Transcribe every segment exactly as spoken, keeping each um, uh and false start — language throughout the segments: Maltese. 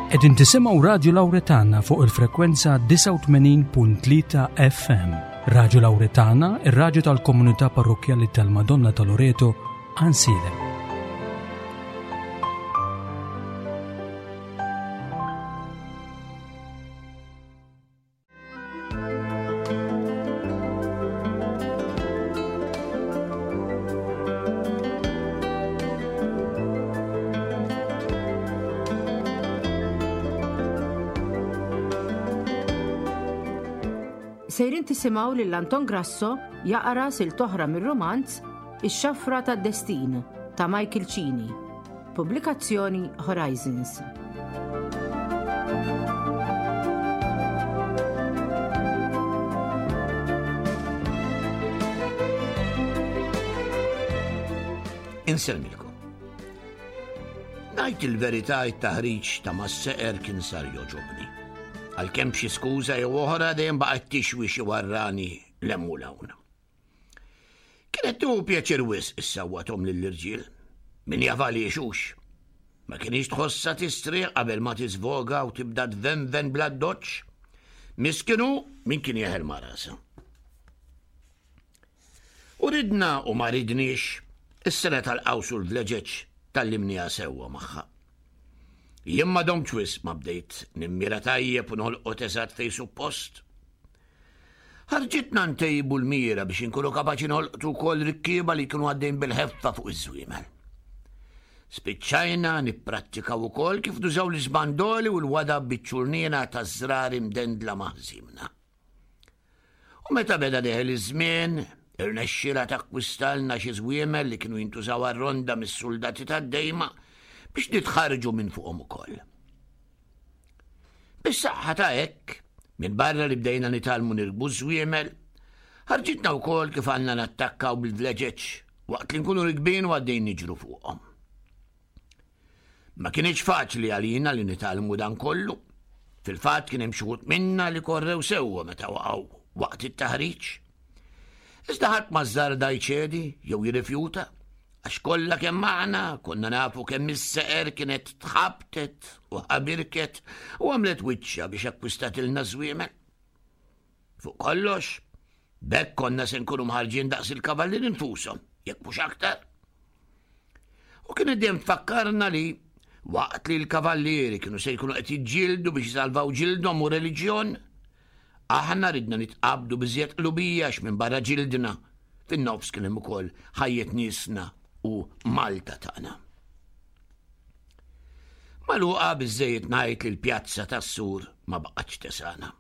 Qegħdin tisimgħu Radju Lawretana fuq il-frekwenza disgħa u tmenin punt tlieta F M. Radju Lawretana, ir-radju tal-Komunità Parrokkjali tal-Madonna ta' Loreto, Għajnsielem. Sejrin tisimgħu lil Anton Grasso jaqra silta oħra mir-romanz Ix-Xafra tad-Destin ta' Michael Cini. Pubblikazzjoni Horizons. Insellmilkom. Ngħid il-verità, it-taħriġ ta' mas-seqer kien sar jogħġobni. Għalkemm xi skuża jew oħra dejjem baqgħet tixwi xi warrani 'l hemm u 'l hawn. Kienet tieħu pjaċir wisq issawwathom lill-irġiel. Min jaf għaliex hux. Ma kinitx tħossha tistrieħ qabel ma tiżvoga u tibda tvenven bla doċ. Miskinu min kien jeħel ma' rasha. U ridna u ma ridniex, is-sengħa tal-qaws u l-vleġeġ tgħallimnieha sewwa magħha. Jien ma domtx wisq ma bdejt nimmira tajjeb u nolqot eżatt fejn suppost. Ħarġitna ntejbu l-mira biex inkunu kapaċi nolqtu wkoll rikkieba li kienu għaddejn bil-ħeffa fuq iż-żwiemel. Spiċċajna nipprattikaw ukoll kif nużaw l-iżbandoli u l-wadab biċ-ċurnina ta' żrar imdendla ma' ħżimna. U meta beda deħel iż-żmien, irnexxielha takkwistalna xi żwiemel li kienu jintużaw għar-ronda mis-soldati tad-dejma biex nitħarġu minn fuqhom ukoll. Bis-saħħa ta' hekk, minn barra li bdejna nitgħallmu nirkbu żwiemel, ħarġitna wkoll kif għandna nattakkaw bil-vleġeġ waqt li nkunu rikbin u għaddejn niġru fuqhom. Ma kienx faċli għalina li nitgħallmu dan kollu. Fil-fatt kien hemm xi wħud minna li korrew sewwa meta waqgħu waqt it-taħriġ. Iżda ħadd ma żżarda jċedi jew jirrifjuta, għax kollha kemm aħna konna nafu kemm is-seqer kienet tħabtet u ħabirket u għamlet wiċċa biex akkwistatilna żwiemel. Fuq kollox, b'hekk konna se nkunu mħarrġin daqs il-kavallieri nfushom, jekk mhux aktar. U kien dejjem tfakkarna li waqt li l-kavallieri kienu se jkunu qed jiġġieldu biex jisalvaw ġildhom u reliġjon, aħna ridna nitqabdu b'iżjed qlubija minn barra ġildna. Fin-nofs kien hemm ukoll ħajjet niesna u Malta tagħna. Ma' Luqa biżżejjed ngħid li l-pjazza tas-sur ma baqgħetx tesagħna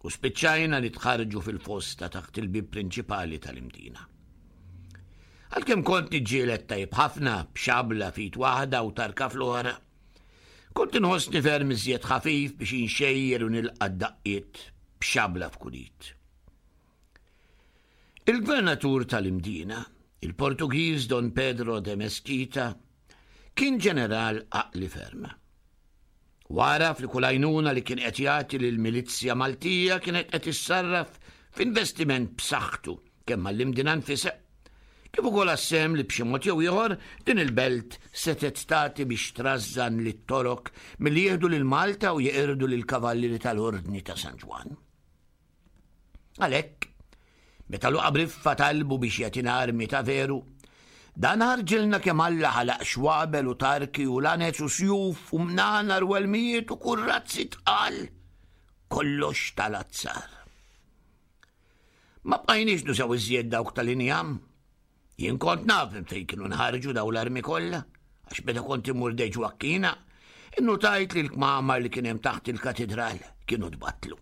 u spiċċajna nitħarrġu fil-fosta taħt il-bib prinċipali tal-Imdina. Għalkemm kont niġġieled tajb ħafna b'xabla f'id waħda u tarka fl-oħra, kont inħossni ferm iżjed ħafif biex inxejjer u nilqa' daqqiet b'xabla f'kull id. Il-gvernatur tal-Imdina, il-Portugiż Don Pedro de Mesquita, kien ġeneral għaqli ferm. Għaraf li kull għajnuna li kien qed jagħti lill-milizzja Maltija kienet qed issarraf f'investiment b'saħħtu kemm għall-Imdina nfisha, kif ukoll għas-sehem li b'xi mod jew ieħor din il-belt setgħet tagħti biex trażżan lit-Torok milli jieħdu lil Malta u jeqirdu lil kavallieri tal-Ordni ta' San Ġwann. Għalhekk, meta Luqa Briffa talbu biex jagħtina armi ta' veru, dan ħarġilna kemm Alla ħalaq xwabel u tarki u lanez u sjuf u mnanar u elmijiet u kurrazzi tqal. Kollox tal-azzar. Ma bqajniex nużaw iżjed dawk tal-injam. Jien kont naf minn fejn kienu nħarġu daw l-armi kollha, għax meta kont immur Dej Ġwakkina, innutajt li l-kmamar li kien hemm taħt il-katedral kienu tbattlu.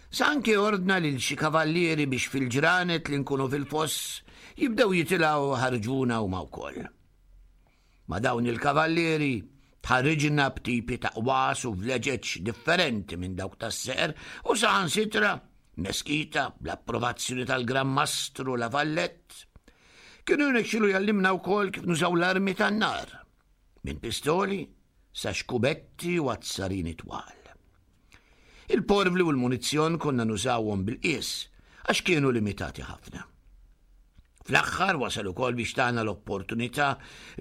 Sa anke ordna lil xi kavallieri biex fil-ġranet li nkunu fil-foss jibdew jitilgħu iħarrġuna huma wkoll. Ma' dawn il-kavallieri tħarriġna b'tipi ta' qwas u vleġeġ differenti minn dawk tas-seqer u saħansitra Mesquita bl-approvazzjoni tal-Gran Mastru La Vallette kienu jirnexxilu jgħallimna wkoll kif nużaw l-armi tan-nar minn pistoli sa xkubetti u azzarini twal. Il-porvli u l-munizzjon konna nużawhom bil-qies għax kienu limitati ħafna. Fl-aħħar wasal ukoll biex tana l-opportunità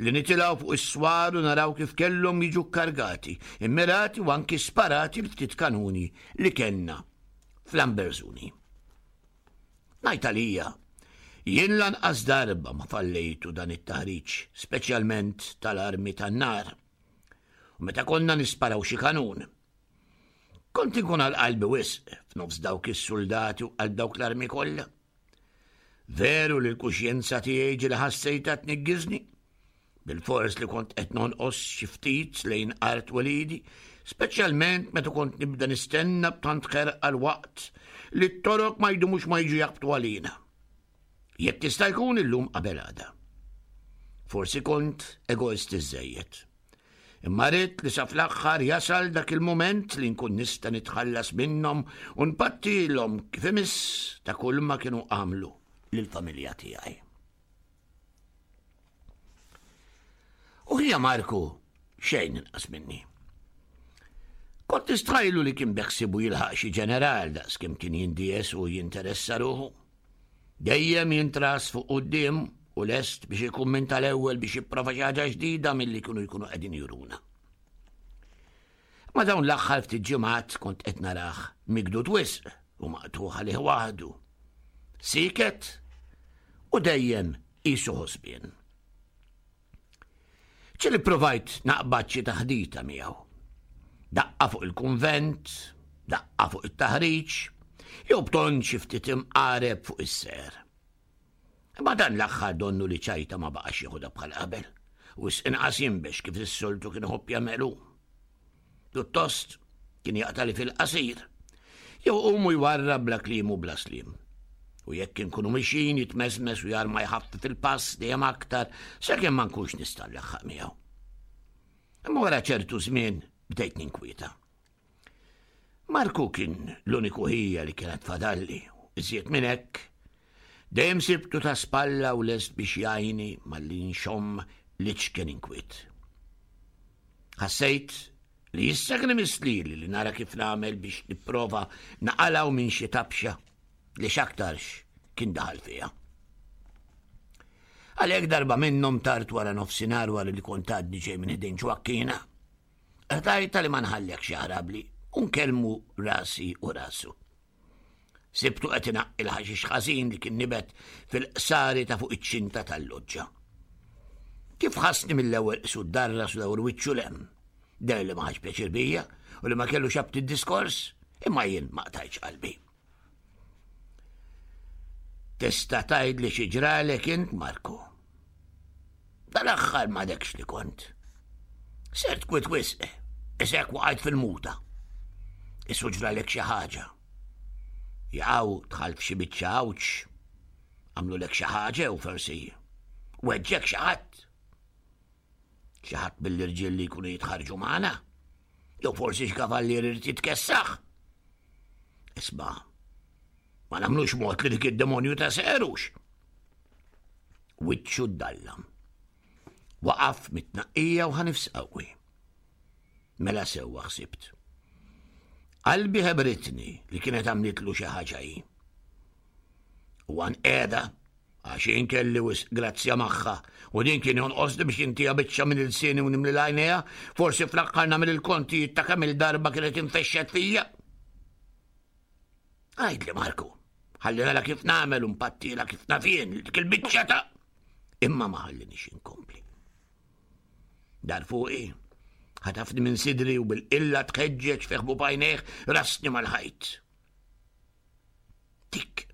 li nitilgħu fuq is-swar u naraw kif kellhom jiġu kkargati, immirati u anki sparati l-ftit kanuni li kellna fl-Amberzuni. Ngħid għalija, jien lanqas darba ma fallejtu dan it-taħriġ, speċjalment tal-armi tan-nar. U meta konna nisparaw xi kanun, kont inkun għal qalbi wisq f'nofs dawk is-suldati u għal dawk l-armi kollha. Veru li l-kuxjenza tiegħi ġieli ħassejtha tniggiżni, bilfors li kont qed nonqos xi ftit lejn art twelidi, speċjalment meta kont nibda nistenna b'tant ħerqa l-waqt li t-Torok ma jdumux ma jiġu jaħbtu għalina. Jekk tista' jkun illum qabel għada. Forsi kont egoist iżżejjed. Imma ridt li sa fl-aħħar jasal dak il-mument li nkun nista' nitħallas minnhom u npattilhom kif imiss ta' kull ma kienu għamlu lill-familja tiegħi. U ħija Marku xejn inqas minni. Kont nistħajlu li kien beħsibu jilħaq xi ġeneral daqs kemm kien jindies u jinteressa ruħu. Dejjem jintras fuq quddiem u lest biex ikun minn tal-ewwel biex jipprova xi ħaġa ġdida milli kienu jkunu qegħdin juruna. Ma dawn l-aħħar ftit ġimgħat kont qed narah migdud wisq u maqtuħ għalih waħdu. Siket u dejjem qisu ħosbien. Ġieli provajt naqbad xi taħdita miegħu. Daqqa fuq il-kunvent, daqqa fuq it-taħriġ, jew b'ton xi ftit imqareb fuq is-ser. Imma dan l-aħħar donnu li ċajta ma baqax jieħodha bħal qabel, u inqas jinbex kif is-soltu kien iħobb jagħmelu. Pjuttost kien jaqtali fil-qasir, jew qumu jwarrab bla kliem u bla sliem. U jekk inkunu mixin jitmesmes u jarma jħaffef il-pass dejjem aktar sakemm ma nkunx nista' nlaħħaq miegħu. Imma wara ċertu żmien bdejt ninkwieta. Marku kien l-uniku ħija li kienet fadalli, iżjed minn hekk, dejjem sibtu ta' spalla u lest biex jgħinni malli nxomm l-iċken inkwiet. Ħassejt li issa kien imiss lili li nara kif nagħmel biex nipprova naqalgħu minn xi tabxa li x'aktarx kien daħal fiha. Għalhekk darba minnhom tard wara nofsinhar wara li kont għadni ġej minn ħdejn Ġwakkina, qtajtha li ma nħallekx jaħrabli u nkellmu rasi u rasu. Sibtu qed inaqqi l-ħaxix ħażin li kien nibet fil-qsari ta' fuq iċ-ċinta tal-loġġa. Kif ħassni mill-ewwel qisu ddarras u dawr wiċċu 'l hemm. Deher li ma ħax pjaċir bija u li ma kellux aptit diskors, imma jien ma qtajtx qalbi. Tista' tgħid li xi ġralek int, Marku? Dal-aħħar m'għadekx li kont. Sirt kwiet wisq, isek waqajt fil-muta. Isu ġralek xi ħaġa. Jaqaw dħalt f'xi biċċa għawġ, għamlulek xi ħaġa u forsi weġġek xi ħadd. Xi ħadd mill-irġiel li jkunu jitħarġu magħna, jew forsi x'kavallier irid jitkessaħ. Isma', ma nagħmlux mod li dik id-demonju ta' serux. Wiċċu ddallam. Waqaf mit-tnaqqija u ħa nifs qawwi. Mela sewwa ħsibt. Qalbi ħebritni li kienet għamlitlu xi ħaġa hi. U għan qiegħda għax jien kelli wisq grazzja magħha u din kien jonqosni biex intiha biċċa minn ilsieni u nimli l-għajnejha, forsi fl-aħħar nagħmel il-kontijiet ta' kemm il-darba kienet infexxet fija. Għidli Marku, ħalli nara kif nagħmel u npattila kif naf jien dik il-biċċa ta' imma ma ħallinix inkompli. Dar fuqi, ħatafni minn sidri u bil-qilla tħeġġeġ fi ħbub għajnejh rasni mal-ħajt. Dik.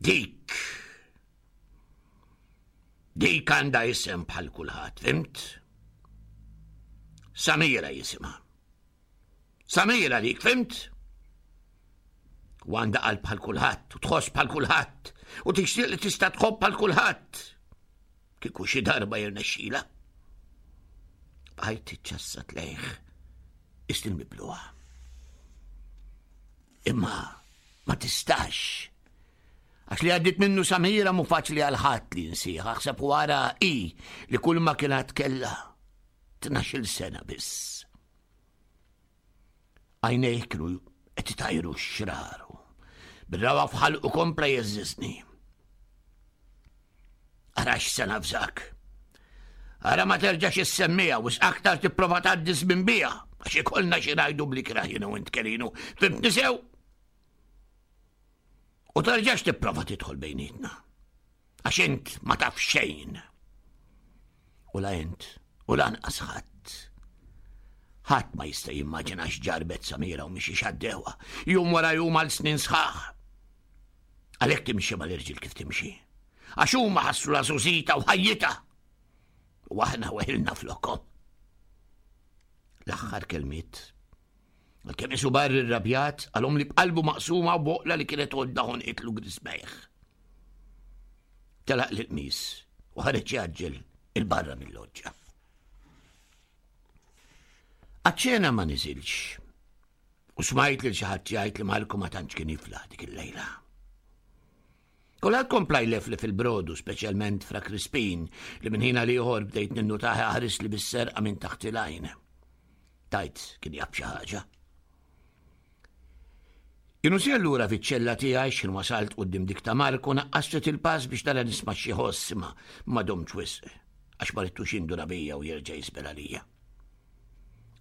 Dik. Dik għandha isem bħal kulħadd, fhimt? Samira jisimha. Samira dik, fhimt? U għandha qalb bħal kulħadd, u tħoss bħal kulħadd, u tixtieq li tista' tħobb bħal kulħadd. Kieku xi darba jirnexxila. Bqajt iċċassat lejh, istil mibluha. Imma ma tistax. Għax li għaddit minnu Samira mu faċli għal ħadd li nsieħ, aħseb wara i li kull ma kienet kellha tnax-il sena biss. Għajnejh kienu qed itajru x-xraru. Bir-rawa f'ħalqu kompla jeżżiżni. Ara x'se navżak. Ara ma terġax issemmija u aktar tipprova tgħaddi żmien biha għax ikollna xi ngħidu bl-ikrah jiena u int Kelinu. Fhimtni sew? U terġax tipprova tidħol bejnietna. Għax int ma taf xejn. U la int, u lanqas ħadd. Ħadd ma jista' jimmaġina x'ġarbet Samira u minn xiex għaddewha, jum wara jum għal snin sħaħ. Għalhekk timxi mal-irġiel kif timxi. Għax huma ħassru la żgħożitha u ħajjitha. U aħna weħilna flokhom. L-aħħar kelmiet. Għalkemm isu barri rrabjat, qalhom li b'qalbu maqsuma u boqla li kienet għodda ħonqitlu griżmejh. Telaq l-qmis u ħareġ jgħaġġel 'il barra mill-loġġa. Għaċ-ċena ma niżilx. U smajt lil xi ħadd jgħid li Marku ma tantx kien jiflaħ dik il-lejla. Kulħadd kompla jleflef fil-brodu, speċjalment Fra Crispin, li minn ħin għal ieħor bdejt ninnutah iħares li bis-serqa minn taħt il-għajn. Tajt kien jaf xi ħaġa. Kienu si allura fiċ-ċella tiegħi x'ħin wasalt quddiem dik ta' Marku naqqast il-pass biex nara nisma' xi ħoss imma ma domtx wisq għax ma ridtux jinduna bija u jerġa' jisbel għalija.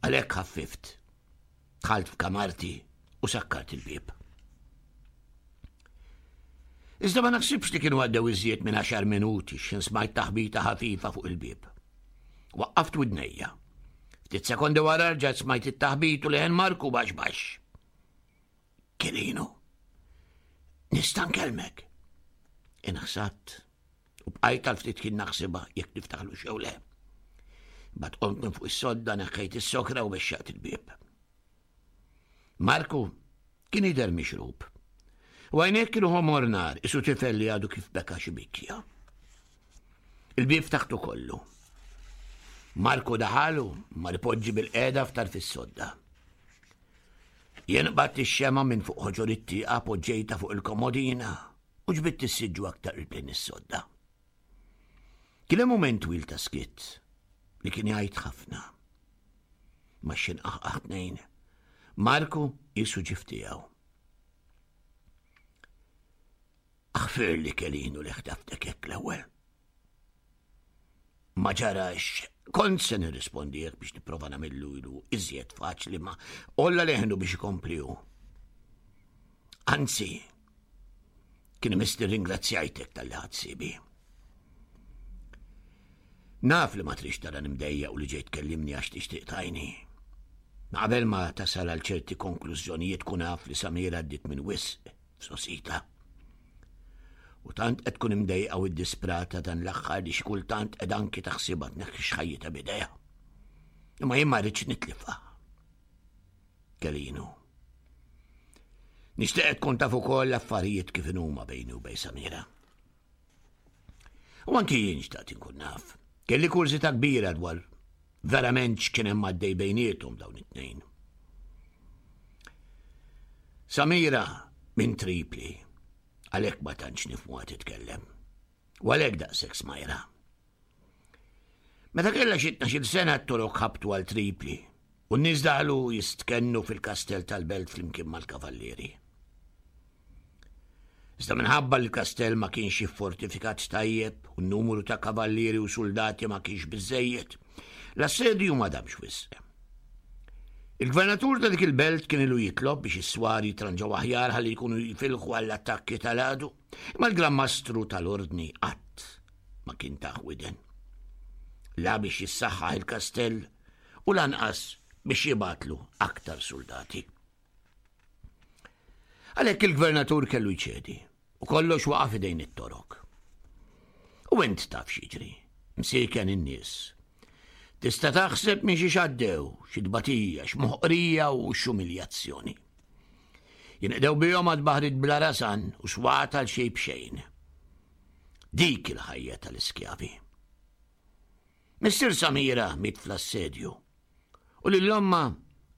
Għalhekk ħaffift. Dħalt f'kamarti u sakkart il-bieb. Iżda ma naħsibx li kienu għaddew iżjed minn għaxar minuti x'ħin smajt taħbita ħafifa fuq il-bieb. Waqqaft widnejja. Ftit sekondi wara rġajt smajt it-taħbit u leħen Marku baxx baxx. Kelinu, nista' nkellmek. Inħsadt u bqajt għal ftit kien naħsibha jekk niftaħlu xew le. Bat qomt minn fuq is-sodda neħħejt is-sokra u bexxaqt il-bieb. Marku kien jidher mixrub. U għajnejh kienu ħomor nar, isu tifel li għadu kif beka xi bikja. Il-bieb ftaħtu kollu. Marku daħal u mar ipoġġi bilqiegħda f'tarf is-sodda. Jien qbadt ix-xemgħa minn fuq ħoġor it-tieqa poġġejta fuq il-komodina u ġbidt is-siġġu aktar qrib lejn is-sodda. Kien hemm mument twil ta' skiet li kien jgħid ħafna. Ma x'ħin qaħqaħ tnejn. Marku jisu ġif tiegħu. Aħfirli Kelinu li ħtaftek hekk l-ewwel. Ma ġarax, kont se nirrispondi hekk biex nipprova nagħmillu ilu iżjed faċli ma olla leħnu biex ikompli hu. Anzi, kien imiss ringrazzjajtek talli ħadt ħsiebi. Naf li ma trix tara nimdejja u li ġejt kellimni għax tixtieq tajni. Ma qabel ma tasal għal ċerti konklużjonijiet kun af li Samira għaddiet minn wisq f'sosita. U tant qed tkun imdejqa u ddisprata dan l-aħħar li xi kultant qed anki taħsibha tneħħi x'ħajjitha b'idejha. Imma jien ma rridx nitlifha. Kelinu. Nixtieq tkun taf ukoll l-affarijiet kif inhuma bejni u bejn Samira. U anki jien xtaqt inkun naf. Kelli kurżità kbira dwar verament x'kien hemm għaddej bejniethom dawn it-tnejn. Samira minn Tripli, għalhekk ma tantx nifhmuha titkellem. U għalhekk daqshekk smajra. Meta kellha xi tnax-il sena t-Torok ħabtu għal Tripli u n-nies daħlu jistkennu fil-kastell tal-belt flimkien mal-kavallieri. Iżda minħabba li l-kastell ma kienx iffortifikat tajjeb u n-numru ta' kavallieri u soldati ma kienx biżejjed, l-assedju ma damx wisq. Il-gvernatur ta' dik il-belt kien ilu jitlob biex is-swar jitranġaw aħjar ħalli jkunu jifilħu għall-attakki tal-għadu, imma l-Gran Mastru tal-Ordni qatt ma kien tah widen. La biex jissaħħaħ il-kastell u lanqas biex jibgħatlu aktar soldati. Għalhekk il-gvernatur kellu jċedi u kollox waqa' f'idejn it-Torok. U int taf x'jiġri, msiken in-nies. Tista' taħseb minn xi xaddew, xi tbatija, x'moħqrija u x'umiljazzjoni. Jinqdew bihom għad baħrit bla rasan u swat għal xejn b'xejn. Dik il-ħajja tal-iskjavi. Missier Samira miet fl-assedju u lil ommha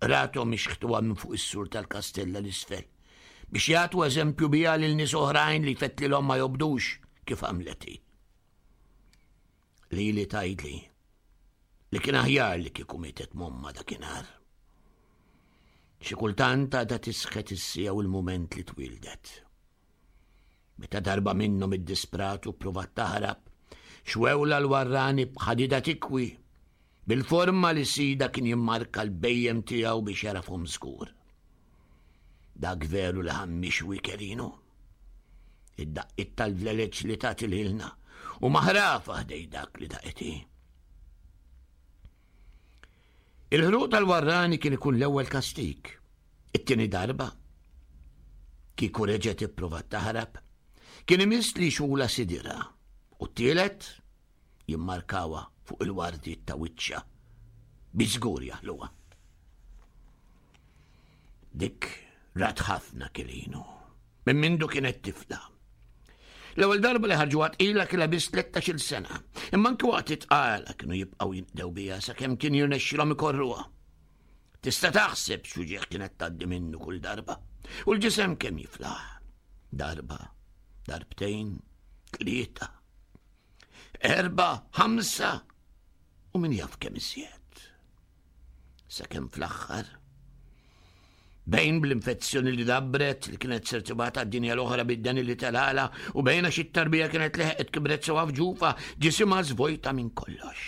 rathom ixħtuha minn fuq is-sur tal-kastella l-isfel biex jagħtu eżempju biha lil nies oħrajn li fettlilhom ma jobdux kif għamlet hi. Lili tgħidli li kien aħjar li kieku mietet momma dakinhar. Xi kultant għadha tisħet is-siegħa u l-mument li twildet. Meta darba minnhom iddispratu provat taħrab, Xwewla l-warrani b'ħadida tikwi, bil-forma li sida kien jimmarka l-bhejjem tiegħu biex jarafhom żgur. Dak veru li ħammixwi Kelinu. Id-daqqiet tal-vleleċ li tagħti lilna u maħrafa ħdej dak li daqeti. Il-ħruq tal-warrani kien ikun l-ewwel kastik. It-tieni darba kieku reġgħet ipprovat taħrab, kien imiss li xula sidira u t-tielet jimmarkawha fuq il-wardiet ta' wiċċha bi żgur jaħluha. Dik rat ħafna Kelinu, minn mindu kienet tifla. L-ewwel darba li ħarġuha tqila kellha biss tlettax-il sena, imma anki waqt it-tqala kienu jibqgħu jinqdew biha sakemm kien jirnexxilhom ikorruha. Tista' taħseb x'uġigħ kienet tgħaddi minnu kull darba, u l-ġisem kemm jiflaħ. Darba, darbtejn, tlieta, erba, ħamsa, u min jaf kemm iżjed. Sakemm fl-aħħar, bejn bl-infezzjoni li dabbret li kienet ser tibgħatha d-dinja l-oħra bid-deni li telala u bejn għax it-tarbija kienet leħqet kibret sewa f'ġufa, ġisimha żvojta minn kollox.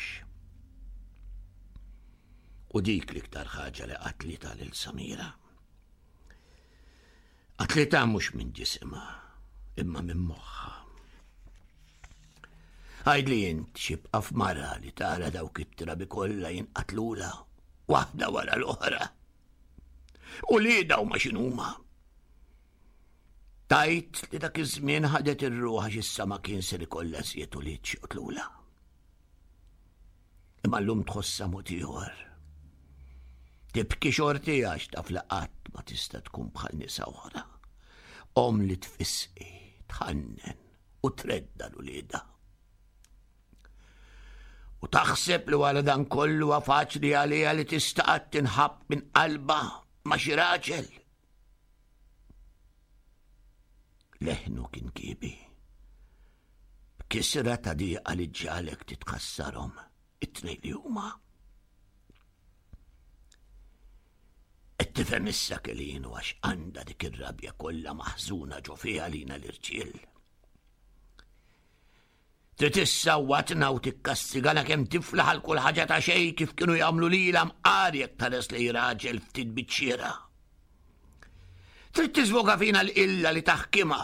U dik l-iktar ħaġa li qatlitha lil Samira. Qatlitha mhux minn ġisimha, imma minn moħħha. Għidli int x'jibqa' f'mara li tara dawk it-trabi kollha jinqatlula waħda wara l-oħra. U li daw ma x'inhuma. Tajt li dak iż-żmien ħadet ir-ruħ għax issa ma kien ser ikollha żjed u li txotlula. Imma llum tħossha mod ieħor. Tibki xorti għax taf li qatt ma tista' tkun bħal nisa oħra. Om li tfisqi, tħannen u tredda l-ulieda. U taħseb li wara dan kollu huwa faċli għaliha li tista' qatt tinħabb minn qalbha ma' xi raġel. Leħnu kien kiebi. B'kisra ta' diqa li ġalek titkassarhom it-tnejn li huma. Qed tifhem issa Kelinu għax għandha dik ir-rabja kollha maħżuna ġo fiha lina l-irġiel. Trid issawwatna u tikkastigana kemm tiflaħ għal kull ħaġa ta' xejn kif kienu jagħmlu lilha mqar jekk tħares lejn raġel ftit biċ-ċiera. Trid tiżvoga fina l-qilla li taħkimha.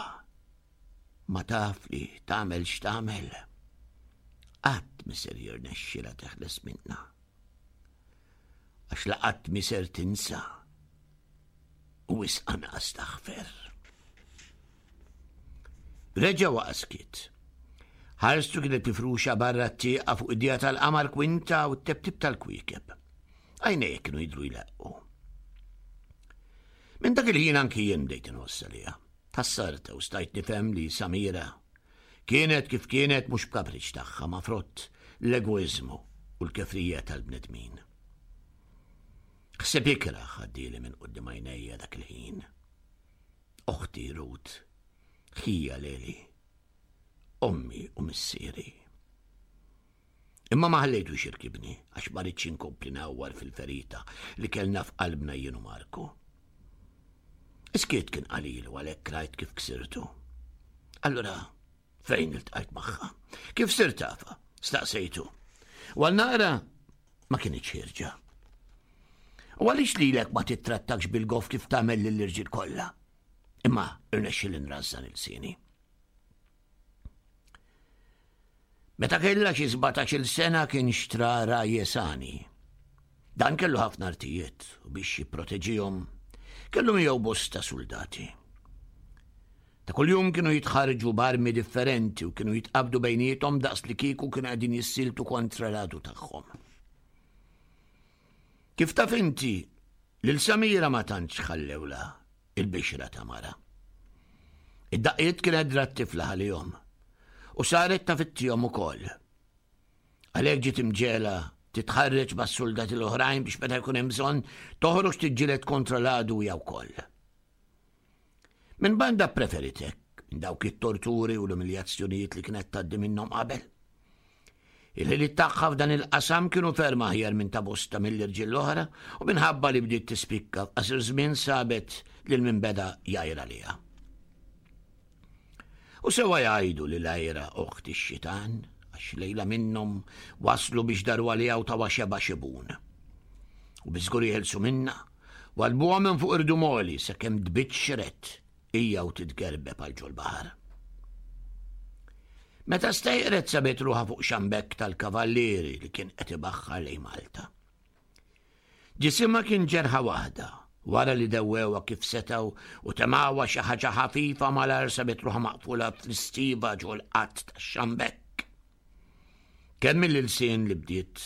Ma taf li tagħmel x'tagħmel. Qatt miser jirnexxilha teħles minna. Għax la qatt miser tinsa u wisq anqas taħfer. Reġa' waqa' skiet. Ħarstu kienet mifruxa barra t-tieqa fuq id-dija tal-qamar kwinta u t-tebtib tal-kwiekeb. Għajnejh kienu jidhru jleqqu. Minn dak il-ħin anki jien bdejt inħoss għaliha. Tassarta u stajt nifhem li Samira kienet kif kienet mhux b'kapriċ tagħha ma' frott l-egoiżmu u l-kefrija tal-bnedmin. Ħseb ikrah għaddieli minn quddiem għajnejja dak il-ħin. Oħti Ruth, ħija Leli, ommi u missieri. Imma ma ħallejtux jirkibni għax ma ridx inkompli nawwar fil-ferita li kellna f'qalbna jien u Marku. Iskiet kien qalil u għalhekk rajt kif ksirtu. Allura, fejn iltqajt magħha? Kif sirt tafha? Staqsejtu. U għal naqra ma kienitx ħierġa. U għaliex lilek ma tittrattakx bil-goff kif tagħmel lill-irġiel kollha? Imma irnexxieli nrażżan il-sieni. Meta kellha xi sbatax-il sena kien xtra Rajesani. Dan kellu ħafna artijiet u biex jipproteġihom kellu miegħu bosta soldati. Ta' kuljum kienu jitħarġu b'armi differenti u kienu jitqabdu bejniethom daqs li kieku kienu qegħdin jissiltu kontra l-għadu tagħhom. Kif taf inti, lil Samira ma tantx ħallewla il-bixra ta' mara. Id-daqqiet kienet drat tifla għalihom u saret ta' fittihom ukoll. Għalhekk ġiet imġela titħarreġ mas-soldati l-oħrajn biex meta jkun hemm bżonn toħroġ tiġġieled kontra l-għadu hija wkoll. Minn banda preferitek minn dawk it-torturi u l-umiljazzjonijiet li kienet tgħaddi minnhom qabel. Il-ħiliet tagħha f'dan il-qasam kienu ferm aħjar minn ta' bosta mill-irġiel l-oħra u minħabba li bdiet tispikka f'qasir żmien sabet lil min beda jgħajra liha. U sewa jgħidu li l-għajra oħt ix-xitan għax lejla minnhom waslu biex daru għaliha u tawha xebgħa xebun. U biżgur jeħilsu minnha, wadbuha minn fuq irdum għoli sakemm tbiċċret hija u titgerbeb għal ġol-baħar. Meta stejqret sabet ruħha fuq xambekk tal-kavallieri li kien qed ibaħħar lejn Malta. Ġisimha kien ġerħa waħda, wara li dewwewha kif setgħu u temgħuha xi ħaġa ħafifa malajr sabet ruħha maqfula fl-istiva ġol-qatt tax-xambekk. Kemm mill-ilsien li bdiet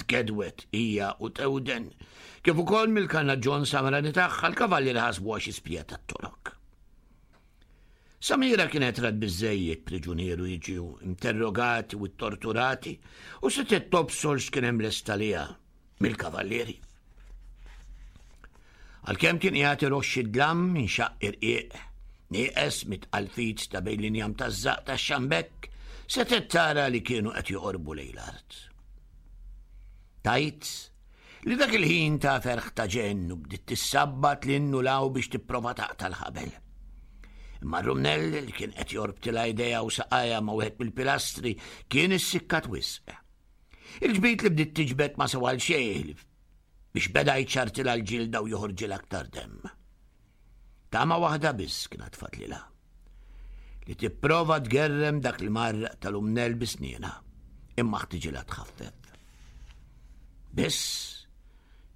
tgedwet hija u tewden, kif ukoll mill-karnaġġon samrani tagħha l-kavallieri ħasbuha xi spija tat-Torok. Samira kienet rat biżżejjed priġunieru jiġu interrogati u torturati u setgħet tobsor x'kien hemm lest għaliha mill-kavallieri. Għalkemm kien qiegħed iroxx id-dlam minn xaqq irqiq, nieqes mit-tqalfit ta' bejn l-injam taż-żaqq tax-xambekk, setgħet tara li kienu qed joqorbu lejn l-art. Tajt li dak il-ħin ta' ferħ ta' ġenn u bdiet tissabbat lil 'l hawn biex tipprova taqta' l-ħabel. Imma r-rumnell li kien qed jorbtilha jdejha u saqajha ma' wieħed mill-pilastri kien issikkat wisq. Il-ġbid li bdiet tiġbed ma sewa għal xejn biex beda jċartilha l-ġilda u joħorġilha aktar demm. Tama waħda biss kienet tfatlilha. Li tipprova tgerrem dak il-marraq tal-umnell bi snienha, imma ħtiġilha tħaffef. Biss,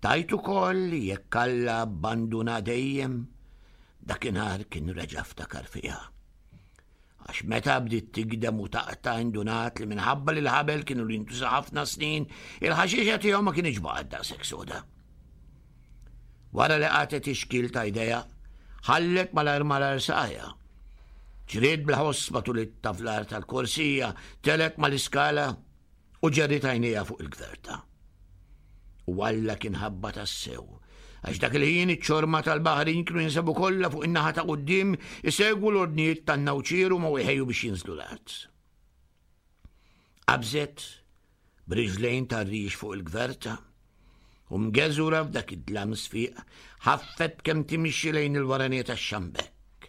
tajt ukoll li jekk Alla abbanduna dejjem, dakinhar kien reġa' ftakar fiha. Għax meta bdiet tigdem u taqta' indunat li minħabba li l-ħabel kienu li jintuża ħafna snin, il-ħaxixa tiegħu ma kienx baqgħet daqshekk soda. Wara li qatgħet ix-xkiel ta' jdejha, ħallet malajr malajr saqajha. Ġriet bil-ħoss matul it-taflar tal-korsija, telgħet mal-iskala u ġerriet għajnejha fuq il-gverta. U Alla kien ħabba tassew, għax dak il-ħin iċ-ċorma tal-baħrin kienu jinsabu kollha fuq in-naħa ta' quddiem isegwu l-ordnijiet tan-nawċieru ma jħejju biex jinżlu l-art. Qabżet b'riġlejn tar-rix fuq il-gverta u mgeżura f'dak id-dlam sfiq ħaffet kemm timxi lejn il-waranija tax-xambekk.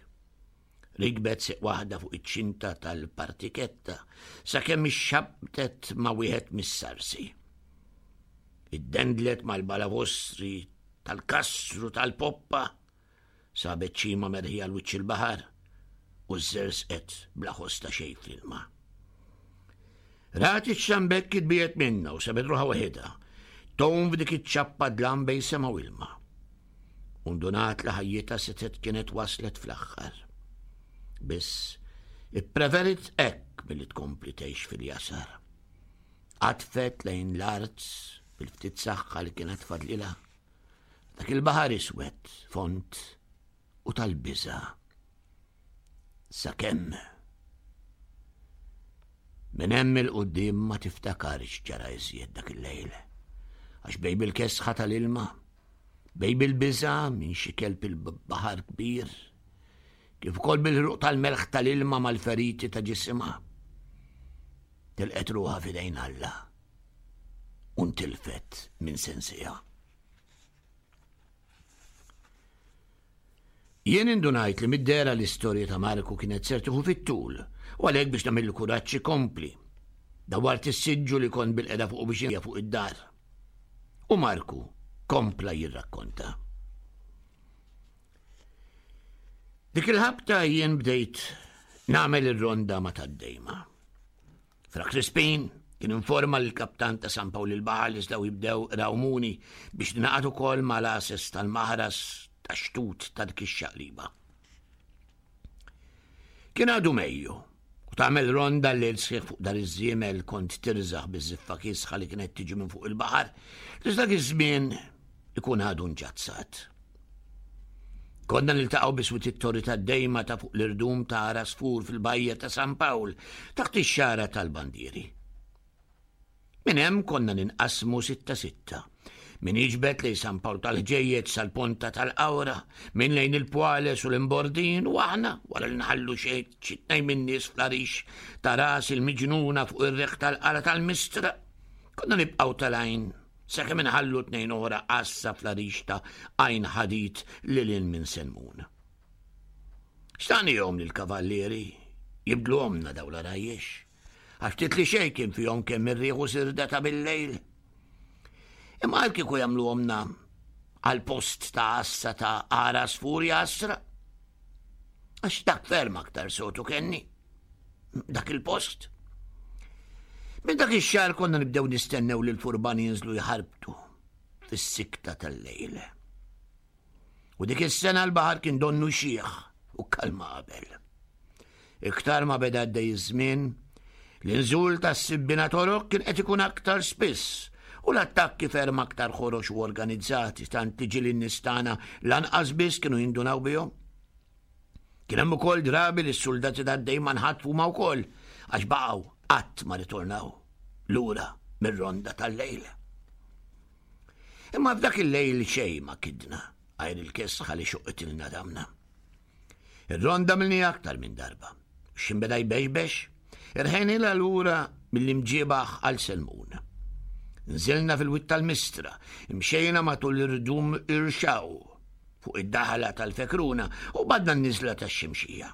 Rikbet siq waħda fuq iċ-ċinta tal-partiketta sakemm ixxabtet ma' wieħed mis-sarsi. Iddendlet mal-balavostri tal-kastru tal-poppa, sabet ċima merħija l-wiċċ il-baħar u żżerżqet bla ħoss ta' xejn fl-ilma. Rat iċ-xambekk itbiegħed minnha u sabet ruħha waħedha, tgħum f'dik iċ-ċappa dlam bejn sema u ilma. U ndunat li ħajjitha setgħet kienet waslet fl-aħħar. Biss, ippreferit hekk milli tkompli tgħix fil-jasar. Qatfet lejn l-art bil-ftit saħħa li kienet fadlilha. Dak il-baħar iswed, fond u tal-biża'. Sakemm minn hemm il-quddiem ma tiftakarx ġara iżjed dak il-lejl. Għax bejn bil-kesħa tal-ilma, bejn bil-biża' minn xi kelb il-baħar kbir, kif ukoll bil-ħruq tal-melħ tal-ilma mal-feriti ta' ġisimha, tilqet ruħha f'idejn Alla u ntilfet minn sensiha. Jien indunajt li mid-dehra l-istorja ta' Marku kienet ser tieħu fit-tul u għalhekk biex nagħmillu kuraġġ ikompli. Dawwart is-siġġu li kont bil-qeda fuqu biex jinja fuq id-dar. U Marku kompla jirrakkonta. Dik il-ħabta jien bdejt nagħmel ir-ronda ma' tad-dejma. Fra Crispin kien informa l-kaptan ta' San Pawl il-Baħar li żdaw jibdew rawmuni biex ninaqad ukoll mal-għases tal-maħras tax-xtut ta' dik ix-xaqliba. Kien għadu Mejju u tagħmel ronda l-lejl sħiħ fuq dar iż-żiemel kont tirżaħ biż-żiffa kiesħa li kienet tiġi minn fuq il-baħar, li dak iż-żmien ikun għadu nġazzat. Konna niltaqgħu biswit it-torri tad-dejma ta' fuq l-irdum ta' Għarasfur fil-bajja ta' San Pawl taħt ix-xara tal-bandieri. Minn hemm konna ninqasmu sitta sitta. Min jiġbed lejn San Pawl tal-Ħġejjeġ sal-Ponta tal-Qawra, min lejn il-Pwales u l-Imbordin, u aħna wara li nħallu xi tnejn min-nies fl-għarix ta' ras il-miġnuna fuq ir-riħ tal-qala tal-Mistra, konna nibqgħu tal-għajn sakemm inħallu tnejn oħra qassa fl-għarix ta' Għajn Ħadid lil hinn minn Senmun. X'tagħnihom lill-kavallieri jibdluhomna dawn l-għarajjex? Għax ftit li xejn kien fihom kemm ir-riħ u sirda ta' bil-lejl. Imma għal kieku jagħmluhomna għal post ta' għassa ta' għar għasfur jaħasra. Għax dak ferm aktar sotu kenni. Dak il-post. Minn dak ix-xahar konna nibdew nistennew li l-furbani jinżlu jħarbtu fis-sikta tal-lejl. U dik is-sena l-baħar kien donnu xiħ u kalma qabel. Iktar ma beda għaddej iż-żmien, l-inżul tas-sibbina torok kien qed ikun aktar spiss u l-attakki ferm aktar ħorox u organizzati tant li ġieli n-nies tagħna lanqas biss kienu jindunaw bihom. Kien hemm ukoll drabi li s-suldati tad-dejma nħatfu ma wkoll għax baqgħu qatt ma ritornaw lura mir-ronda tal-lejl. Imma f'dak il-lejl xejn ma kidna għajr il-kesħa li xuqitilna damna. Ir-ronda milni aktar minn darba. X'ħin beda jbexbex, irħejnilha lura mill-imġiebaħ għal Selmun. Nżilna fil-wied tal-Mistra, imxejna matul irdum Irxaw fuq id-daħla tal-Fekruna u badna n-niżla tax-Ximxija.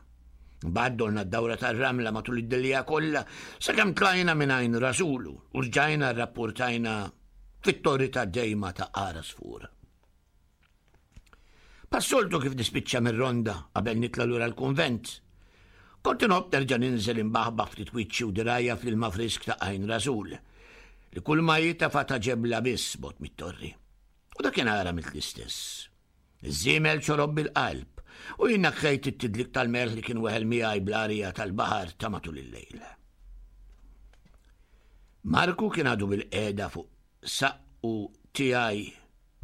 Mbagħad dorna d-dawra tar-ramla matul id-dillija kollha sakemm tlajna minn Għajn Rasulu u rġajna rrapportajna fit-torri ta' dejma ta' Għar Għasfur. Passoltu kif nispiċċa mir-ronda qabel nitla' lura l-kunvent. Kont inħobb nerġa' ninżel imbaħbaħ ftit wiċċi u dirgħajja fl-ilma frisk ta' Għajn Rasul, li kull ma hi tafa ta' ġebla biss bogħod mit-torri. U dakinhar għamilt l-istess. Iż-żiemel xorob bil-qalb u jien nakkejt it-tidlik tal-melħ li kien weħel miegħi bl-arja tal-baħar ta' matul il-lejl. Marku kien għadu bil-qiegħda fuq saqqu tiegħi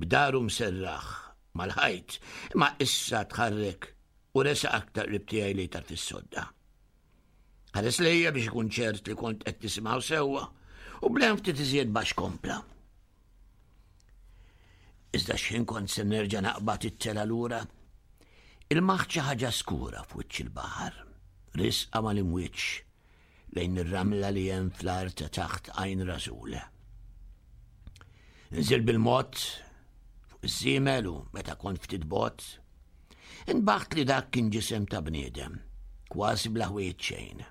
b'daru mserraħ mal-ħajt, imma issa tħarrek u resaq aktar qrib tiegħi li tarf is-sodda. Ħares lejja biex ikun ċert li kont qed nisimgħu sewwa u blen ftit iżjed baxx kompla. Iżda x'ħin kont se nerġa' naqbad it-tela lura, ilmaħt xi ħaġa skura f'wiċċ il-baħar, risqa mal-imwieġ lejn ir-ramla li hemm fl-art ta' taħt Għajn Rasul. Nżil bil-mod fuq iż-żiemel u meta kont ftit bogħod, inbaħt li dak kien ġisem ta' bniedem, kważi bla ħwejjeġ xejn.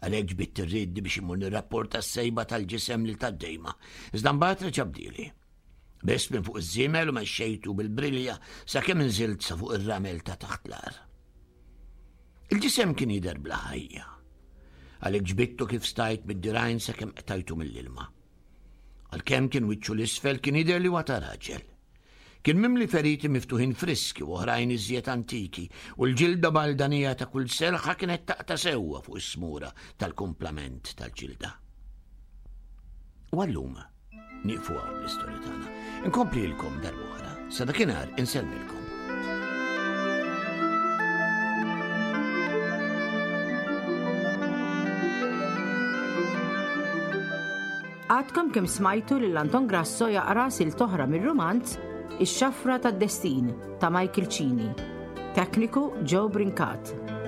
Għalhekk ġbidt ir-riedni biex immur nirrapporta s-sejba tal-ġisem lil tad-dejma, iżda mbagħad reġa' bdieli. Biss minn fuq iż-żiemel u mexxejtu bil-brilja sakemm inżilt sa fuq ir-ramel ta' taħt l-għar. Il-ġisem kien jidher bla ħajja. Għalhekk ġbidtu kif stajt mid-dirgħajn sakemm qtajtu mill-ilma. Għalkemm kien wiċċu l-isfel kien jidher li huwa ta' raġel. Kien mimli feriti miftuħin friski u oħrajn iżjed antiki u l-ġilda baldanija ta' kull selħa kienet taqta' sewwa fuq is-smura tal-kumplament tal-ġilda. U għallum nieqfu hawn l-istorja tagħna. Inkomplilkom darb'oħra. Sa dakinhar insellmilkom. Għadkom kemm smajtu lil Anton Grasso jaqra silt oħra mir-rumanz Ix-Xafra tad-Destin ta' Michael Cini. Tekniku Joe Brincat.